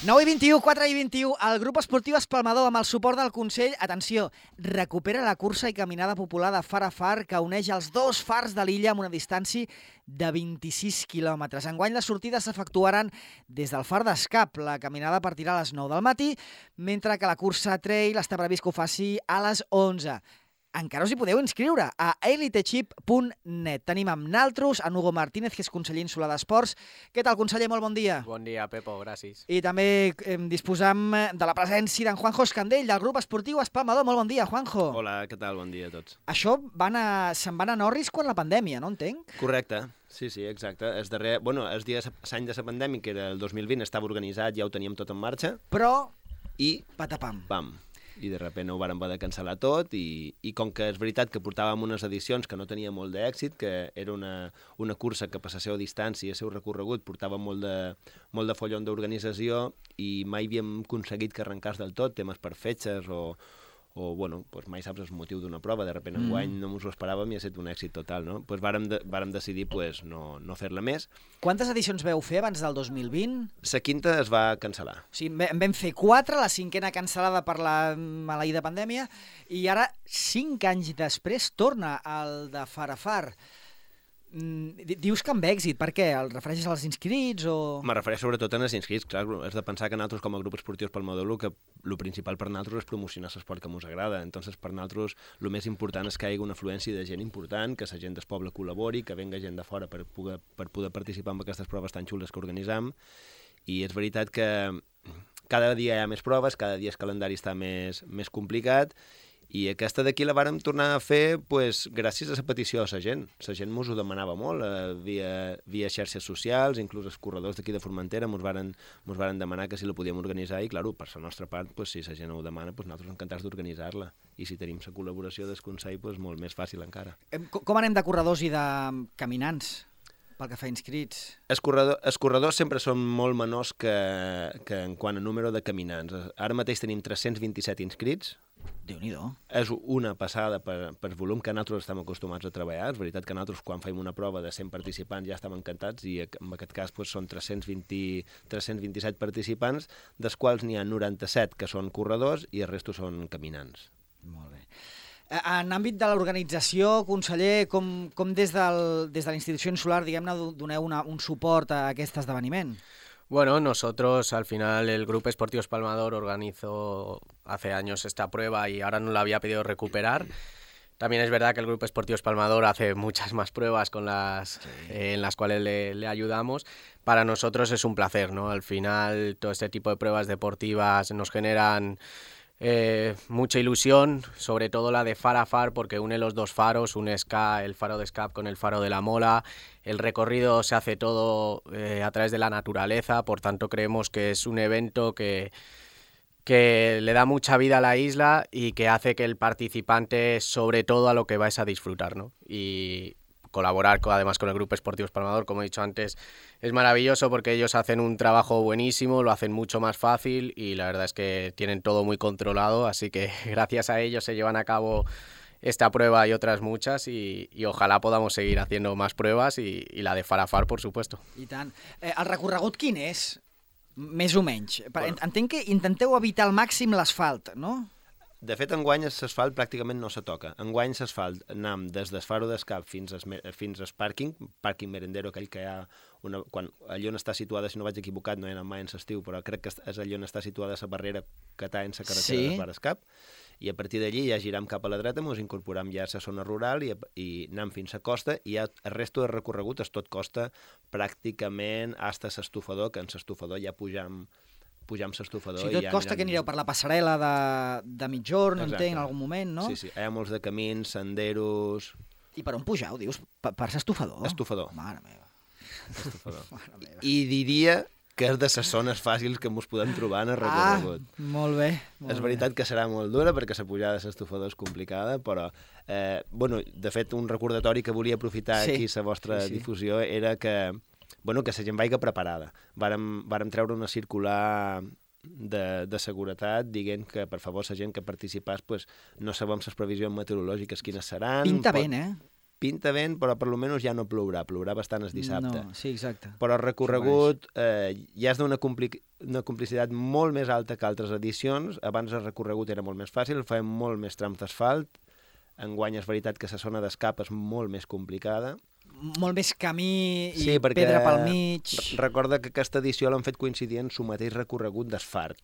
9 i 21, 4 i 21, el grup esportiu Espalmador, amb el suport del Consell, atenció, recupera la cursa i caminada popular de far a far que uneix els dos fars de l'illa amb una distància de 26 quilòmetres. Enguany les sortides s'efectuaran des del far d'Escap. La caminada partirà a les 9 del matí, mentre que la cursa trail està previst que ho faci a les 11. Encara us hi podeu inscriure a elitechip.net. Tenim amb naltros en Hugo Martínez, que és conseller insular d'Esports. Què tal, conseller? Molt bon dia. Bon dia, Pepo, gràcies. I també disposam de la presència d'en Juanjo Escandell, del grup esportiu Espalmador. Molt bon dia, Juanjo. Hola, què tal? Bon dia a tots. Això se'n van a Norris quan la pandèmia, no entenc? Correcte, sí, exacte. El dia l'any de la pandèmia, que era el 2020, estava organitzat, ja ho teníem tot en marxa. Però, I patapam. pam. I de sobte ho vàrem haver de cancel·lar tot i com que és veritat que portàvem unes edicions que no tenia molt d'èxit, que era una cursa que per la seva distància i el seu recorregut portava molt de follon d'organització i mai havíem aconseguit que arrencàs del tot, temes per fetges o mai saps el motiu d'una prova, de sobte enguany no ens ho esperàvem i ha estat un èxit total, no? Vàrem decidir no fer-la més. Quantes edicions veu fer abans del 2020? La quinta es va cancel·lar. O sigui, en vam fer 4, la cinquena cancel·lada per la maleïda pandèmia, i ara, 5 anys després, torna el de far a far. Dius que amb èxit, per què? El refereixes als inscrits o...? Me refereix sobretot als inscrits, clar, has de pensar que nosaltres com a grup esportiu Espalmador el principal per nosaltres és promocionar l'esport que ens agrada, entonces per nosaltres el més important és que hi hagi una afluència de gent important, que la gent del poble col·labori, que venga gent de fora per poder participar en aquestes proves tan xules que organitzam, i és veritat que cada dia hi ha més proves, cada dia el calendari està més complicat, i aquesta d'aquí la vàrem tornar a fer gràcies a la petició de la gent. La gent ens ho demanava molt, via xarxes socials, inclús els corredors d'aquí de Formentera ens varen demanar que si la podíem organitzar i, clar, per la nostra part, si la gent ho demana, nosaltres encantats d'organitzar-la. I si tenim la col·laboració del Consell, molt més fàcil encara. Com anem de corredors i de caminants? Pel que fa inscrits. Els corredors sempre són molt menors que en quant a número de caminants. Ara mateix tenim 327 inscrits. Déu-n'hi-do. És una passada per volum que nosaltres estem acostumats a treballar. És veritat que nosaltres quan fem una prova de 100 participants ja estem encantats i en aquest cas són 327 participants, dels quals n'hi ha 97 que són corredors i el resto són caminants. Molt bé. En àmbit de l'organització, conseller, com des de la institució insular, diguem-ne, doneu un suport a aquest esdeveniment? Bueno, nosotros al final el Grupo Esportivo Espalmador organizó hace años esta prueba y ahora nos la había pedido recuperar. También es verdad que el Grupo Esportivo Espalmador hace muchas más pruebas en las cuales le ayudamos. Para nosotros es un placer, ¿no? Al final todo este tipo de pruebas deportivas nos generan mucha ilusión, sobre todo la de far a far, porque une los dos faros, une el faro de Escap con el faro de la Mola. El recorrido se hace todo a través de la naturaleza, por tanto creemos que es un evento que le da mucha vida a la isla y que hace que el participante, sobre todo, a lo que va es a disfrutar, ¿no? Y colaborar además con el Grupo Esportivo Espalmador, como he dicho antes, es maravilloso porque ellos hacen un trabajo buenísimo, lo hacen mucho más fácil y la verdad es que tienen todo muy controlado, así que gracias a ellos se llevan a cabo esta prueba y otras muchas y ojalá podamos seguir haciendo más pruebas y la de far a far, por supuesto. I tant. El recorregut quin és? Més o menys. Entenc que intenteu evitar al màxim l'asfalt, no? De fet, enguany l'asfalt pràcticament no se toca. Enguany l'asfalt anem des del faro d'Escap fins al pàrquing merendero, aquell que hi ha allà on està situada, si no vaig equivocat, no he anat mai en l'estiu, però crec que és allà on està situada la barrera que està en la carretera de far d'Escap, i a partir d'allí ja giram cap a la dreta, ens incorporam ja a la zona rural i anem fins a costa, i ja el resto de recorregut és tot costa pràcticament fins a l'estufador, que en l'estufador ja pugem l'estufador. O sigui, tot costa que anireu per la passarel·la de migjorn, entenc, en algun moment, no? Sí, hi ha molts de camins, senderos... I per on pugeu, dius? Per l'estufador? Estufador. Mare meva. Estufador. I diria que és de les zones fàcils que ens podem trobar en el recorregut. Molt bé. És veritat que serà molt dura perquè la pujada de l'estufador és complicada, però, de fet, un recordatori que volia aprofitar aquí la vostra difusió era que la gent vagi preparada. Vàrem treure una circular de seguretat dient que, per favor, la gent que participés no sabem les previsions meteorològiques quines seran. Pinta ben, eh? pinta vent, però per almenys ja no plourà bastant el dissabte. No, sí, exacte. Però el recorregut ja és d'una complicitat molt més alta que altres edicions. Abans el recorregut era molt més fàcil, fèiem molt més trams d'asfalt. Enguany és veritat que la zona d'escap és molt més complicada. Molt més camí i Sí, perquè pedra pel mig. recorda que aquesta edició l'han fet coincidir en el mateix recorregut d'asfalt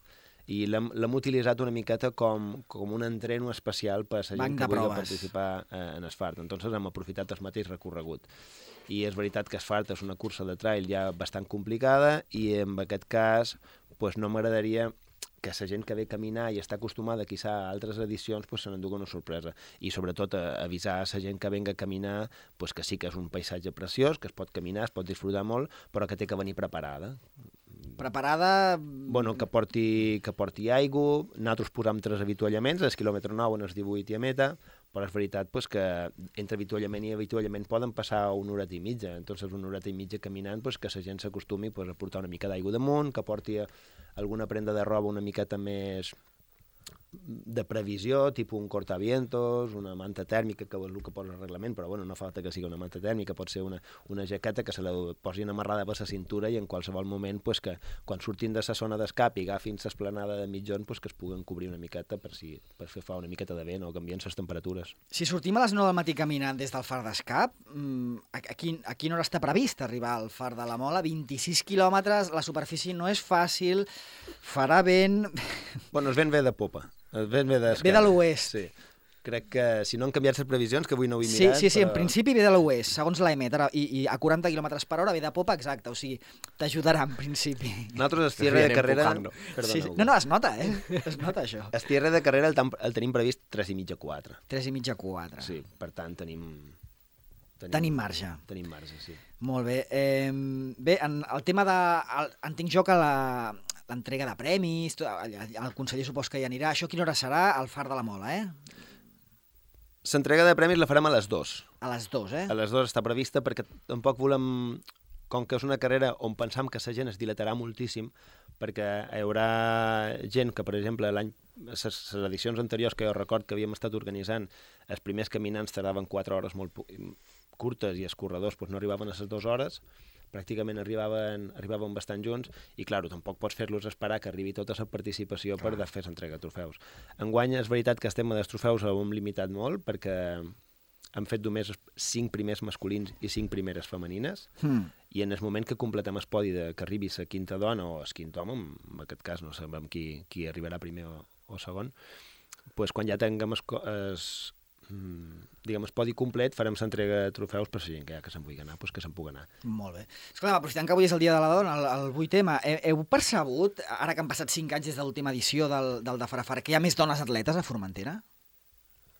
i l'hem utilitzat una miqueta com un entreno especial per a la gent que vulgui participar en asfalt. Entonces hem aprofitat el mateix recorregut. I és veritat que asfalt és una cursa de trail ja bastant complicada i en aquest cas pues, no m'agradaria que la gent que ve a caminar i està acostumada quizà a altres edicions pues, se n'endugui una sorpresa. I sobretot avisar a la gent que venga a caminar pues, que sí que és un paisatge preciós, que es pot caminar, es pot disfrutar molt, però que té que venir preparada. Preparada... Bueno, que porti aigua, nosaltres posam 3 avituallaments, el quilòmetre 9 en el 18 i a meta, però és veritat pues, que entre avituallament i avituallament poden passar una horeta i mitja, entonces una horeta i mitja caminant pues, que la gent s'acostumi pues, a portar una mica d'aigua damunt, que porti alguna prenda de roba una miqueta més de previsió, tipus un cortavientos, una manta tèrmica, que és el que posa el reglament, però bueno, no falta que sigui una manta tèrmica, pot ser una jaqueta que se la posin amarrada per la cintura i en qualsevol moment pues, que quan surtin de la zona d'escap i agafin l'esplanada de mitjon pues, que es puguen cobrir una miqueta per fer fa una miqueta de vent o canvien les temperatures. Si sortim a les 9 del matí caminant des del far d'escap, a quina hora està previst arribar al far de la Mola? 26 quilòmetres, la superfície no és fàcil, farà vent... Bueno, el vent ve de popa. El vent ve de l'oest. Sí. Crec que si no han canviat les previsions, que avui no ho he mirat... Sí, però... en principi ve de l'oest, segons l'EMET, i a 40 km per hora ve de popa, exacte, o sigui, t'ajudarà en principi. Nosaltres el cierre de carrera... Sí, no, es nota, es nota això. El cierre de carrera el tenim previst 3,5 a 4. 3,5 a 4. Sí, per tant tenim marge. Tenim marge, sí. Molt bé. Bé, el tema de... Entenc jo que l'entrega de premis, el conseller supos que hi anirà, això a quina hora serà? Al far de la Mola, L'entrega de premis la farem a les 2. A les 2, A les 2 està prevista perquè tampoc volem, com que és una carrera on pensam que la gent es dilatarà moltíssim, perquè hi haurà gent que, per exemple, les edicions anteriors que jo record que havíem estat organitzant, els primers caminants tardaven 4 hores molt curtes i els corredors no arribaven a les 2 hores, pràcticament arribaven bastant junts i, clar, tampoc pots fer-los esperar que arribi tota la participació per fer l'entrega de trofeus. Enguany és veritat que el tema dels trofeus ho hem limitat molt perquè hem fet només 5 primers masculins i 5 primeres femenines i en el moment que completem el podi que arribi la quinta dona o el quint home, en aquest cas no sabem qui arribarà primer o segon, doncs quan ja tinguem el podi complet, farem l'entrega de trofeus per la gent que se'n vulgui anar, doncs que se'n pugui anar. Molt bé. Escolta, aprofitant que avui és el Dia de la Dona, el 8M, heu percebut, ara que han passat 5 anys des de l'última edició del de Farafara, que hi ha més dones atletes a Formentera?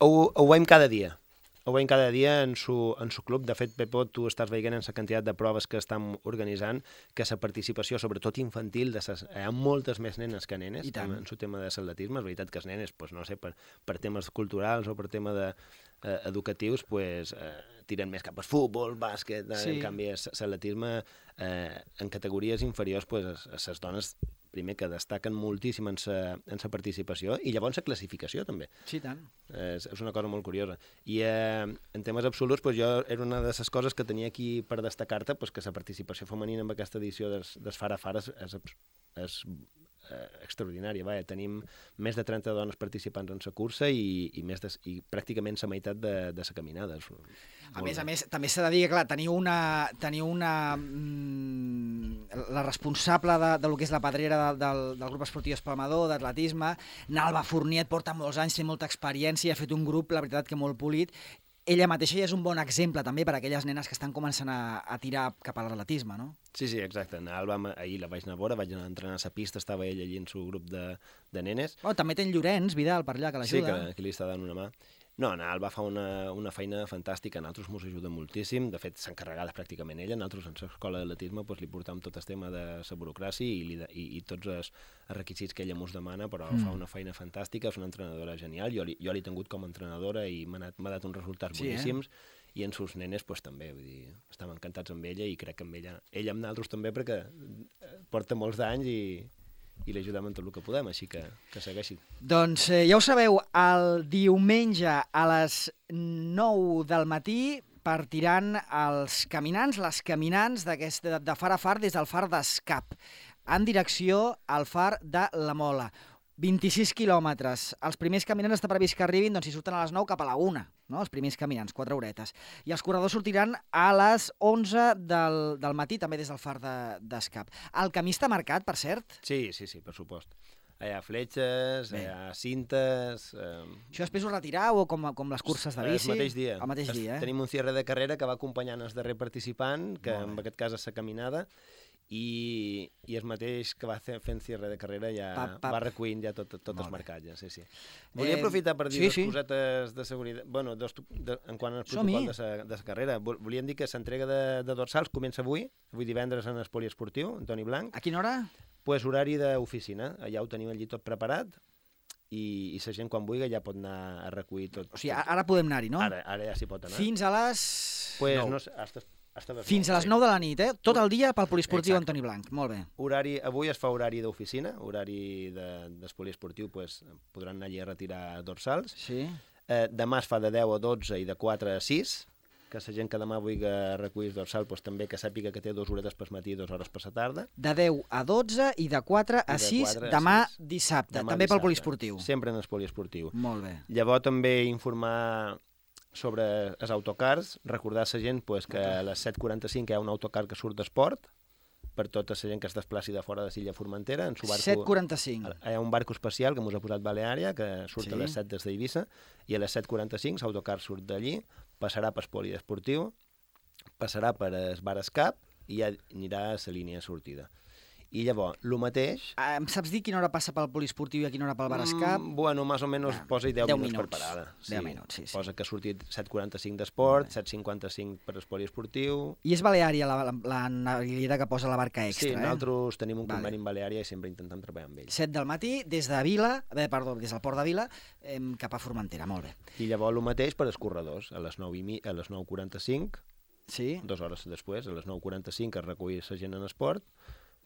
Ho veiem cada dia. Ho veiem cada dia en su club. De fet, Pepo, tu estàs veient en la quantitat de proves que estem organitzant que la participació, sobretot infantil, hi ha moltes més nenes que nenes en el tema de l'atletisme. És veritat que les nenes, no sé, per temes culturals o per temes educatius, tiren més cap al futbol, bàsquet, en canvi l'atletisme en categories inferiors, les dones primer que destaquen moltíssim en la participació i llavors la classificació també. Sí, tant. És una cosa molt curiosa. I en temes absoluts, jo era una de les coses que tenia aquí per destacar-te, que la participació femenina en aquesta edició dels Farafara és extraordinària. Tenim més de 30 dones participants en la cursa i pràcticament la meitat de la caminada. A més, també s'ha de dir que, clar, teniu la responsable de lo que és la pedrera del grup esportiu Espalmador, d'atletisme, Nalba Fournier, porta molts anys, té molta experiència, ha fet un grup, la veritat, que molt polit. Ella mateixa ja és un bon exemple també per a aquelles nenes que estan començant a tirar cap a l'atletisme, no? Sí, exacte. Ahir la vaig anar a veure, vaig anar a entrenar a la pista, estava ella allí en el seu grup de nenes. També té en Llorenç Vidal per allà, que l'ajuda. Sí, que li està dant una mà. No, Alba fa una feina fantàstica, a nosaltres ens ajuda moltíssim, de fet s'ha encarregat pràcticament ella, nosaltres en l'escola d'atletisme li portam tot el tema de la burocràcia i tots els requisits que ella ens demana, però fa una feina fantàstica, és una entrenadora genial, jo l'he tingut com a entrenadora i m'ha dat uns resultats boníssims, i en sus nenes també, vull dir, estem encantats amb ella i crec que amb ella amb nosaltres també perquè porta molts d'anys i l'ajudem en tot el que podem, així que segueixi. Doncs ja ho sabeu, el diumenge a les 9 del matí partiran els caminants, les caminants de far a far des del far d'Escap, en direcció al far de la Mola. 26 quilòmetres. Els primers caminants està previst que arribin, doncs si surten a les 9 cap a la 1, no? Els primers caminants, 4 horetes. I els corredors sortiran a les 11 del matí, també des del far d'Escap. El camí està marcat, per cert? Sí, per supost. Hi ha fletxes, hi ha cintes... Això després ho retirau o com les curses de bici? El mateix dia. El mateix dia, Tenim un cierre de carrera que va acompanyant el darrer participant, que en aquest cas és la caminada, i el mateix que va fent cierre de carrera ja va recollint ja tots els marcatges. Sí. Volia aprofitar per dir dues cosetes de seguretat, bueno, en quant al protocol de la carrera. Volíem dir que l'entrega de dorsals comença avui divendres en el poliesportiu, Antoni Blanc. A quina hora? Pues horari d'oficina, allà ho tenim allí tot preparat i la gent quan vulgui ja pot anar a recollir tot. O sigui, ara podem anar-hi, no? Ara ja s'hi pot anar. Fins a les... Pues 9. No sé, fins a les 9 de la nit, tot el dia pel poliesportiu Antoni Blanc. Molt bé. Avui es fa horari d'oficina, horari del poliesportiu, pues, podran anar allí a retirar dorsals. Sí. Demà es fa de 10 a 12 i de 4 a 6, que la gent que demà vulgui recollir el dorsal pues, també que sàpiga que té 2 horetes per matí i 2 hores per la tarda. De 10 a 12 i de 4 a 6 demà dissabte, també pel poliesportiu. Sempre en el poliesportiu. Molt bé. Llavors també informar sobre els autocars, recordar a la gent pues, que a les 7:45 hi ha un autocar que surt d'esport, per tota la gent que es desplaci de fora de l'illa Formentera. 7:45. Hi ha un barco especial que mos ha posat Baleària, que surt a les 7 des d'Eivissa, i a les 7:45 l'autocar surt d'allí, passarà per poliesportiu, passarà per el bar Escap i ja anirà a la línia de sortida. I llavors, el mateix... Em saps dir quina hora passa pel poliesportiu i a quina hora pel bar Escap? Bueno, més o menys posa 10 minuts per parada. 10 minuts, sí. Posa que ha sortit 7:45 d'esport, 7:55 per el poliesportiu... I és Baleària la naviliera que posa la barca extra, Sí, nosaltres tenim un conveni amb Baleària i sempre intentem treballar amb ells. 7 del matí, des del port de Vila, cap a Formentera, molt bé. I llavors el mateix per als corredors, a les 9:45, 2 hores després, a les 9:45 es recull la gent en esport,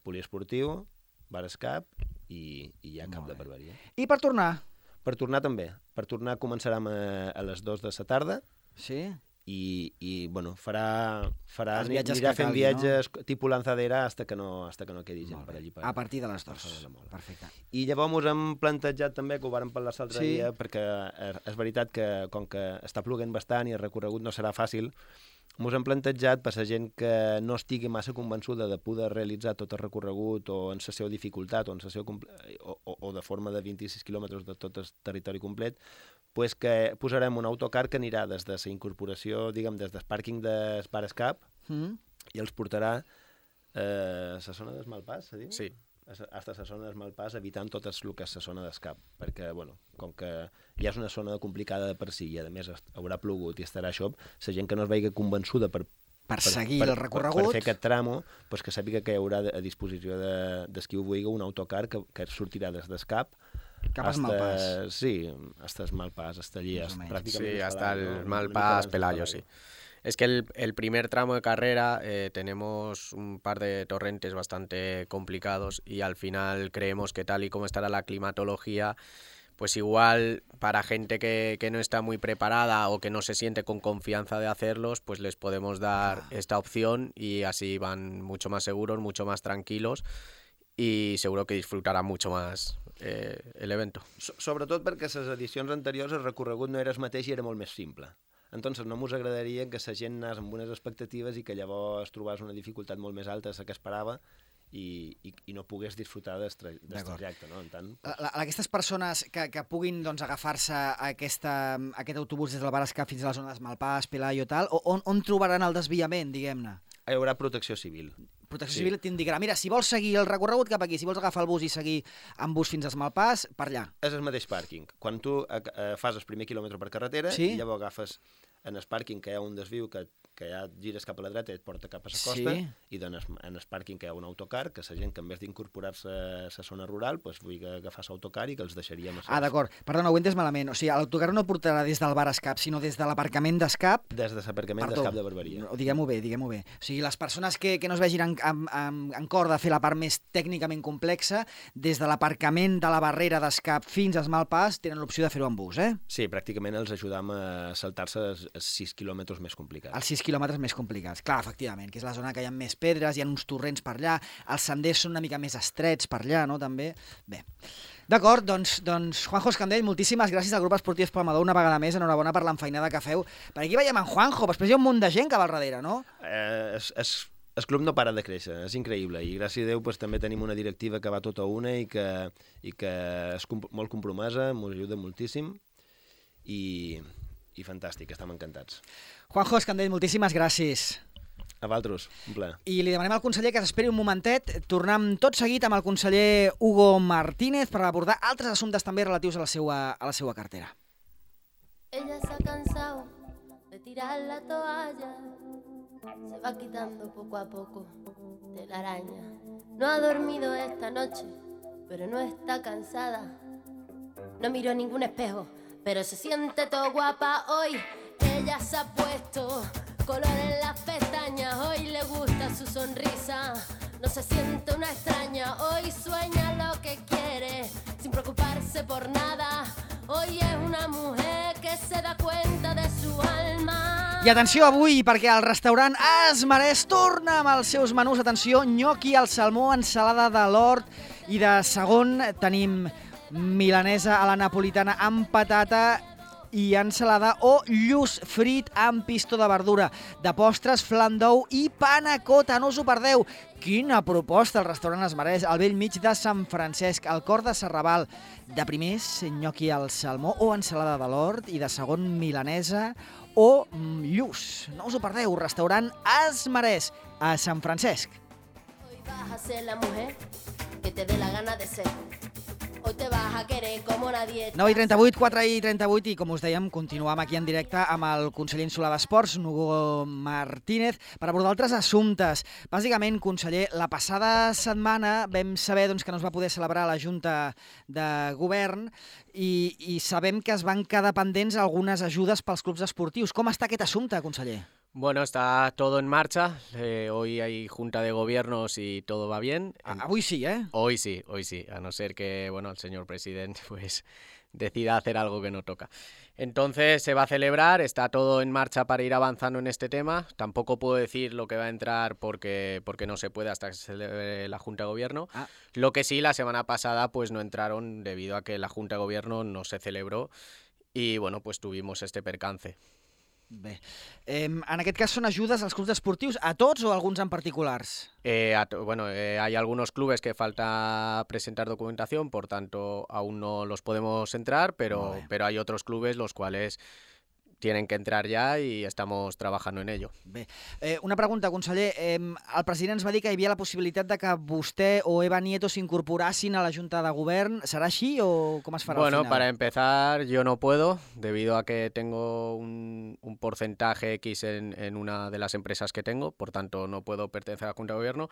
poliesportiu, bar Escap i ja cap de barberia. I per tornar? Per tornar també. Per tornar començarem a les 2 de la tarda. Sí. I bueno, anirà fent calgui, viatges tipus lanzadera hasta que no quedi gent per allí. A partir de les 2. Perfecte. I llavors ens hem plantejat també, que ho vàrem parlar l'altre dia, perquè és veritat que com que està ploguent bastant i el recorregut no serà fàcil, ens hem plantejat per la gent que no estigui massa convençuda de poder realitzar tot el recorregut o en la seva dificultat o de forma de 26 quilòmetres de tot el territori complet, pues que posarem un autocar que anirà des de la incorporació, diguem, des del pàrquing del bar Escap i els portarà a la zona del Malpàs, se diu? Sí. Hasta la zona del Malpàs, evitant tot el que és la zona d'Escap, perquè, bueno, com que ja és una zona complicada de per si i, a més, haurà plogut i estarà això, la gent que no es vegi convençuda per seguir el recorregut, per fer aquest tramo, pues que sàpiga que hi haurà a disposició de qui ho vulgui un autocar que sortirà des d'Escap cap al Malpàs. Sí, hasta el Malpàs, hasta allí, prácticamente. Sí, hasta el Malpàs, Pelayo, sí. Es que el primer tramo de carrera tenemos un par de torrentes bastante complicados y al final creemos que tal y como estará la climatología, pues igual para gente que no está muy preparada o que no se siente con confianza de hacerlos, pues les podemos dar esta opción y así van mucho más seguros, mucho más tranquilos i seguro que disfrutarà mucho más l'evento. Sobretot perquè les edicions anteriors el recorregut no era el mateix i era molt més simple. Entonces no ens agradaria que la gent anés amb unes expectatives i que llavors trobés una dificultat molt més alta de la que esperava i no pogués disfrutar del trajecte. No? Aquestes persones que puguin agafar-se aquest autobús des del bar Escap fins a la zona del Malpàs, Pelayo i tal, on trobaran el desviament, diguem-ne? Hi haurà protecció civil. Protecció civil t'indicarà, mira, si vols seguir el recorregut cap aquí, si vols agafar el bus i seguir amb bus fins al Malpàs, per allà. És el mateix pàrquing. Quan tu fas el primer quilòmetre per carretera i llavors agafes en el pàrquing que hi ha un desviu que ja gires cap a la dreta i et porta cap a la costa i en el pàrquing que hi ha un autocar que la gent que en vez d'incorporar-se a la zona rural vulgui agafar l'autocar i que els deixaríem a d'acord. Perdona, ho he entès malament. O sigui, l'autocar no portarà des del bar Escap, sinó des de l'aparcament d'Escap. Des de l'aparcament d'Escap de Barberia. Diguem-ho bé. O sigui, les persones que no es vegin en cor de fer la part més tècnicament complexa, des de l'aparcament de la barrera d'Escap fins al Malpàs tenen l'opció de fer-ho en bus, eh? Sí, pràcticament els ajudam a saltar-se els 6 quilòmetres més complicats. Els 6 quilòmetres més complicats. Clar, efectivament, que és la zona que hi ha més pedres, hi ha uns torrents per allà, els senders són una mica més estrets per allà, no?, també. Bé. D'acord, doncs Juanjo Escandell, moltíssimes gràcies al grup esportiu Espalmador una vegada més, enhorabona per l'enfeinada que feu. Per aquí veiem en Juanjo, després hi ha un munt de gent que va al darrere, no? El club no para de créixer, és increïble, i gràcies a Déu també tenim una directiva que va tota una i que és molt compromesa, ens ajuda moltíssim i fantàstic, estem encantats. Juanjo Escandell, moltíssimes gràcies. A vosaltres, un plaer. I li demanem al conseller que s'esperi un momentet. Tornem tot seguit amb el conseller Hugo Martínez per abordar altres assumptes també relatius a la seva cartera. Ella se ha cansado de tirar la toalla, se va quitando poco a poco de la araña. No ha dormido esta noche, pero no está cansada. No miró ningún espejo, pero se siente todo guapa hoy. Ella se ha puesto color en las pestañas, hoy le gusta su sonrisa, no se siente una extraña, hoy sueña lo que quiere, sin preocuparse por nada, hoy es una mujer que se da cuenta de su alma. I atenció avui, perquè el restaurant Es Marès torna amb els seus menús. Atenció, nyoqui al salmó, ensalada de l'hort i de segon tenim milanesa a la napolitana amb patata i ensalada o lluç frit amb pistó de verdura. De postres, flan d'ou i panacota, no us ho perdeu. Quina proposta al restaurant Es Marès, al bell mig de Sant Francesc, al cor de Serrabal. De primers, nyoqui al salmó o ensalada de l'hort i de segon, milanesa o lluç. No us ho perdeu, restaurant Es Marès, a Sant Francesc. Hoy vas a ser la mujer que te dé la gana de ser. Hoy te vas a querer como nadie. 9:38, 4:38, i com us dèiem, continuam aquí en directe amb el conseller insular d'Esports, Hugo Martínez, per abordar altres assumptes. Bàsicament, conseller, la passada setmana vam saber que no es va poder celebrar la Junta de Govern i sabem que es van quedar pendents algunes ajudes pels clubs esportius. Com està aquest assumpte, conseller? Bueno, está todo en marcha. Hoy hay junta de gobiernos y todo va bien. Avui sí, ¿eh? Hoy sí. A no ser que, bueno, el señor presidente pues decida hacer algo que no toca. Entonces se va a celebrar, está todo en marcha para ir avanzando en este tema. Tampoco puedo decir lo que va a entrar porque no se puede hasta que se celebre la Junta de Gobierno. Lo que sí, la semana pasada pues no entraron debido a que la Junta de Gobierno no se celebró y bueno, pues tuvimos este percance. Bé. En aquest cas són ajudes als clubs esportius, a tots o a alguns en particulars? Hay algunos clubes que falta presentar documentación, por tanto aún no los podemos entrar, pero hay otros clubes los cuales tienen que entrar ya y estamos trabajando en ello. Bé. Una pregunta, conseller. El president ens va dir que hi havia la possibilitat de que vostè o Eva Nieto s'incorporassin a la Junta de Govern. Serà així o com es farà al final? Bueno, para empezar, yo no puedo, debido a que tengo un porcentaje X en una de las empresas que tengo, por tanto no puedo pertenecer a la Junta de Gobierno.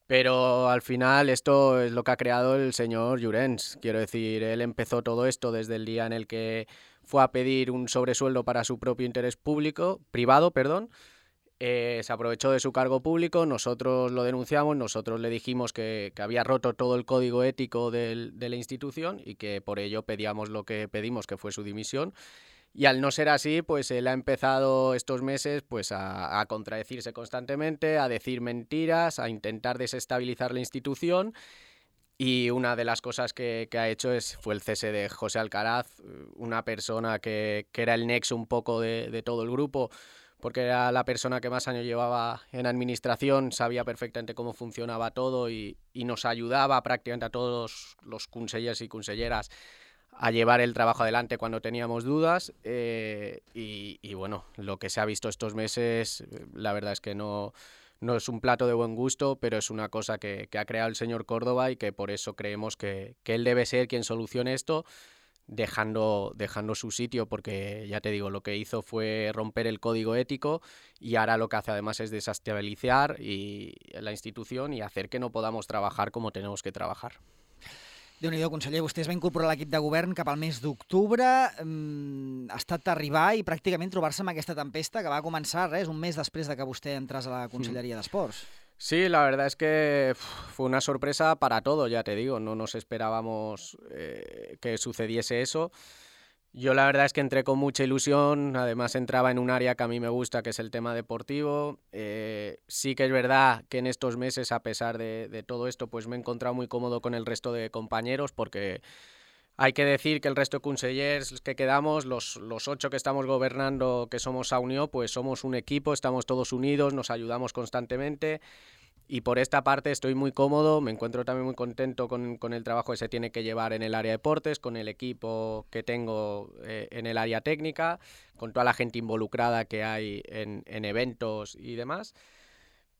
Pero al final esto es lo que ha creado el señor Llorens. Quiero decir, él empezó todo esto desde el día en el que fue a pedir un sobresueldo para su propio interés privado. Se aprovechó de su cargo público, nosotros lo denunciamos, nosotros le dijimos que había roto todo el código ético de la institución y que por ello pedíamos lo que pedimos, que fue su dimisión. Y al no ser así, pues él ha empezado estos meses pues a contradecirse constantemente, a decir mentiras, a intentar desestabilizar la institución. Y una de las cosas que ha hecho fue el cese de José Alcaraz, una persona que era el nexo un poco de todo el grupo, porque era la persona que más años llevaba en administración, sabía perfectamente cómo funcionaba todo y nos ayudaba prácticamente a todos los consellers y conselleras a llevar el trabajo adelante cuando teníamos dudas y bueno, lo que se ha visto estos meses, la verdad es que no es un plato de buen gusto, pero es una cosa que ha creado el señor Córdoba y que por eso creemos que él debe ser quien solucione esto, dejando su sitio, porque ya te digo, lo que hizo fue romper el código ético y ahora lo que hace además es desestabilizar la institución y hacer que no podamos trabajar como tenemos que trabajar. Déu-n'hi-do, conseller, vostè es va incorporar a l'equip de govern cap al mes d'octubre, ha estat arribar i pràcticament trobar-se amb aquesta tempesta que va començar un mes després de que vostè entrés a la Conselleria d'Esports. Sí, la verdad es que fue una sorpresa para todos, ya te digo, no nos esperábamos que sucediese eso Yo la verdad es que entré con mucha ilusión, además entraba en un área que a mí me gusta, que es el tema deportivo. Sí que es verdad que en estos meses, a pesar de todo esto, pues me he encontrado muy cómodo con el resto de compañeros, porque hay que decir que el resto de consellers que quedamos, los 8 que estamos gobernando, que somos a Unió, pues somos un equipo, estamos todos unidos, nos ayudamos constantemente. Y por esta parte estoy muy cómodo, me encuentro también muy contento con el trabajo que se tiene que llevar en el área de deportes, con el equipo que tengo en el área técnica, con toda la gente involucrada que hay en eventos y demás.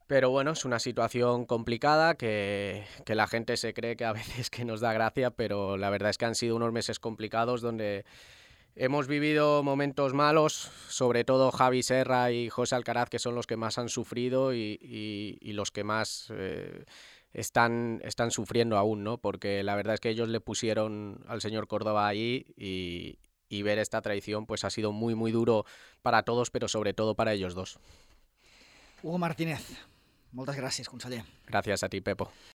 Pero bueno, es una situación complicada que la gente se cree que a veces que nos da gracia, pero la verdad es que han sido unos meses complicados donde hemos vivido momentos malos, sobre todo Javi Serra y José Alcaraz, que son los que más han sufrido y los que más están sufriendo aún, ¿no? Porque la verdad es que ellos le pusieron al señor Córdoba ahí y ver esta traición pues ha sido muy, muy duro para todos, pero sobre todo para ellos dos. Hugo Martínez, moltes gràcies, conseller. Gracias a ti, Pepo.